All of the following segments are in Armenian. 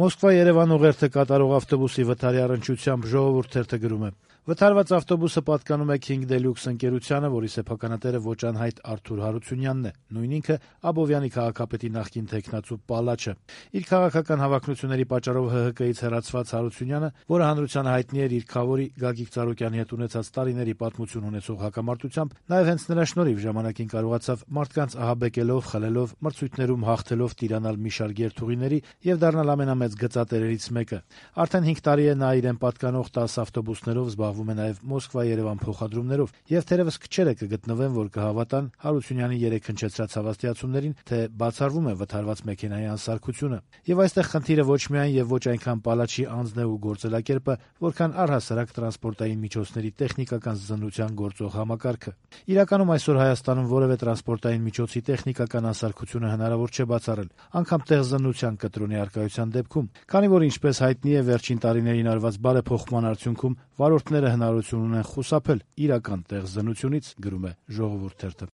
Մոսկվա-Երևան ուղերձը կատարող ավտոբուսի վթարի առնչությամբ «Ժողովուրդ» թերթը գրում է. «Վթարված ավտոբուսը պատկանում է King Deluxe ընկերությանը, որի սեփականատերը ոչ անհայտ Արթուր Հարությունյանն է, նույն ինքը Աբովյանի քաղաքապետի նախկին թեկնածու պալաչը։ Իր քաղաքական հավակնությունների պատճառով ՀՀԿ-ից հեռացված Հարությունյանը, որը հանրությանը հայտնի էր իր քավորի Գագիկ Ծառուկյանի հետ ունեցած տարիների պատմություն ունեցող հակամարտությամբ, նաև հենց նրա շնորհիվ ժամանակին կարողացավ մարդկանց ահաբեկելով, խլելով, մրցույթներում հաղթելով տիրանալ մի շարք երթուղիների եւ դառնալ ամենամեծ գծատերերից մեկը։ Արդեն 5 տարի է նա իրեն պատկանող 10 ավտոբուսներով զբաղվում է նաև Մոսկվա-Երևան փոխադրումներով, եւ թերևս քչերը կգտնվեն, որ կհավատան Հարությունյանի երեք հնչեցրած հավաստիացումներին, թե բացառվում է վթարված մեքենայի անսարքությունը։ Եվ այստեղ խնդիրը ոչ միայն եւ ոչ այնքան պալաչի անձն է ու գործելակերպը, որքան առհասարակ տրանսպորտային միջոցների տեխնիկական զննության գործող համակարգը։ Իրականում այսօր Հայաստանում որևէ տրանսպորտային միջոցի տեխնիկական անսարքությունը հնարավոր չէ բացառել, անգամ տեղզննության կտրոնի առկայության դեպքում, քանի որ ինչպես հայտնի է վերջին տարիներին արված բարեփոխման արդյունքում վարորդները հնարավորություն ունեն խուսափել իրական տեղզննությունից, գրում է «Ժողովուրդ» թերթը։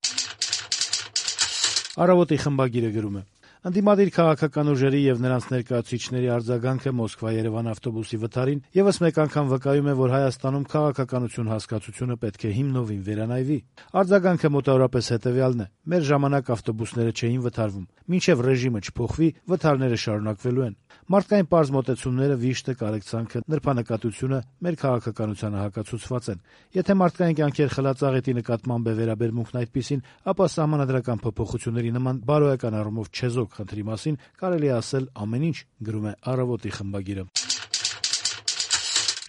Առավոտի խմբագիրը գրում է. Ընդդիմադիր քաղաքական ուժերի եւ նրանց ներկայացուցիչների արձագանքը Մոսկվա-Երևան ավտոբուսի վթարին եւս մեկ անգամ վկայում է, որ Հայաստանում քաղաքականություն հասկացությունը պետք է հիմնովին վերանայվի։ Արձագանքը մոտավորապես հետեւյալն է. մեր ժամանակ ավտոբուսները չէին վթարվում, մինչեւ ռեժիմը չփոխվի, վթարները շարունակվելու են։ Մարդկային պարզ մոտեցումները, վիշտը, կարեկցանքը, նրբանկատությունը մեր քաղաքականությանը հակացուցված են։ Եթե մարդկային կյանքեր խլածաղետի նկատմամբ է վերաբերմունքն այդպիսին, ապա սահմանադրական փոփոխությունների նման բարոյական առումով չեզոք խնդրի մասին կարելի է ասել ամեն ինչ, գրում է Առավոտի խմբագիրը։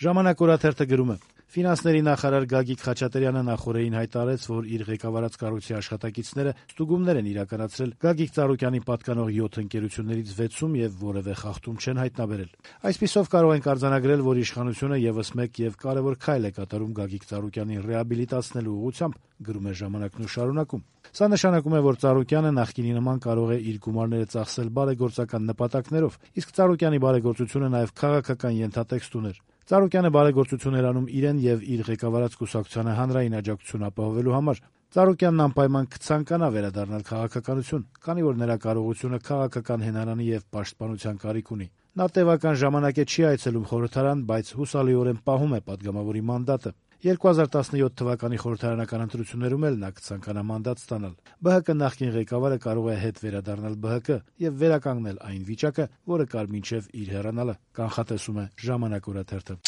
Ժամանակ օրաթերթը գրում է. Ֆինանսների նախարար Գագիկ Խաչատրյանը նախորդին հայտարարեց, որ իր ղեկավարած կառույցի աշխատակիցները ստուգումներ են իրականացրել Գագիկ Ծառուկյանին պատկանող 7 ընկերություններից 6-ում եւ որևէ խախտում չեն հայտնաբերել։ Այսպիսով կարող ենք արձանագրել, որ իշխանությունը եւս մեկ եւ կարեւոր քայլ է կատարում Գագիկ Ծառուկյանին ռեաբիլիտացնելու ուղղությամբ, գրում է Ժամանակն ու շարունակում։ Սա նշանակում է, որ Ծառուկյանը նախկինի նման կարող է իր գումարները ծախսել բարեգործական նպատակներով, իսկ Ծառուկյանի բարեգործությունը նաեւ քաղաքական ենթատեքստ ուներ։ Ծառուկյանը բարեգործություն էր անում իրեն եւ իր ղեկավարած կուսակցությանը հանրային աջակցություն ապահովելու համար։ Ծառուկյանն անպայման կցանկանա վերադառնալ քաղաքականություն, քանի որ նրա կարողությունը քաղաքական հենարանի եւ պաշտպանության կարիք ունի։ Նա տևական ժամանակ է չի այցելում խորհրդարան, բայց հուսալիորեն պահում է падգամավորի մանդատը։ 2017 թվականի խորհրդարանական ընտրություններում էլ նա կցանկանա մանդատ ստանալ։ ԲՀԿ նախկին ղեկավարը կարող է հետ վերադառնալ ԲՀԿ եւ վերականգնել այն վիճակը, որը կար մինչեւ իր հեռանալը, կանխատեսում է Ժամանակ օրաթերթը։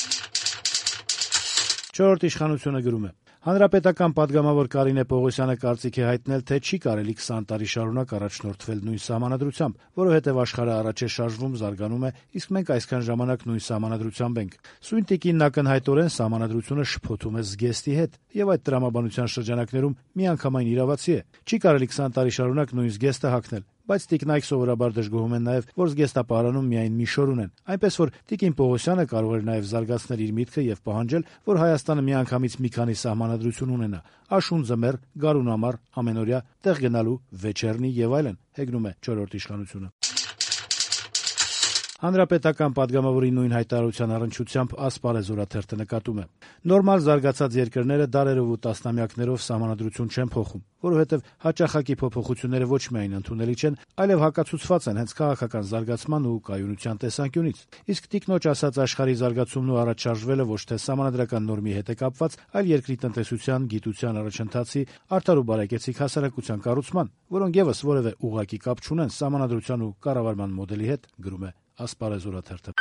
Չորրորդ իշխանությունը գրում է. Հանրապետական падգամավոր Կարինե Պողոսյանը կարծիք է հայտնել, թե չի կարելի 20 տարի շարունակ առաջնորդվել նույն սահմանադրությամբ, որովհետև աշխարհը առաջ է շարժվում, զարգանում է, իսկ մենք այսքան ժամանակ նույն սահմանադրությամբ ենք։ Սույն տիկինն ակնհայտորեն սահմանադրությունը շփոթում է զգեստի հետ, եւ այդ տրամաբանության շրջանակներում միանգամայն իրավացի է։ Չի կարելի 20 տարի շարունակ նույն զգեստը հագնել, բայց տիկնայք սովորաբար դժգոհում են նաև, որ զգեստապահարանում միայն մի շոր ունեն, այնպես որ տիկին Պողոսյանը կարող էր նաև զարգացնել իր միտքը եւ պահանջել, որ Հայաստանը միանգամից մի քանի սահմանադրություն ունենա՝ աշուն ձմեռ, գարուն ամառ, ամենօրյա, տեղ գնալու, վեճերնի եւ այլն, հեգնում է 4-րդ իշխանությունը։ Հանրապետական падգամավորի նույն հայտարարության առնչությամբ Ասպարեզ օրաթերթը նկատում է. նորմալ զարգացած երկրները դարերով ու տասնամյակներով սահմանադրություն չեն փոխում, որովհետև հաճախակի փոփոխությունները ոչ միայն ընդունելի չեն, այլև հակացուցված են հենց քաղաքական զարգացման ու կայունության տեսանկյունից։ Իսկ տիկնոջ ասած աշխարհի զարգացումն ու առաջարժվելը ոչ թե սահմանադրական նորմի հետ է կապված, այլ երկրի տնտեսության, գիտության առաջընթացի, արդար ու բարեկեցիկ հասարակության կառուցման, որոնք եւս որևէ ուղղակի կապ չունեն սահմանադրության ու կառավարման մոդելի հետ, գրում է Ասպարեզ օրաթերթը։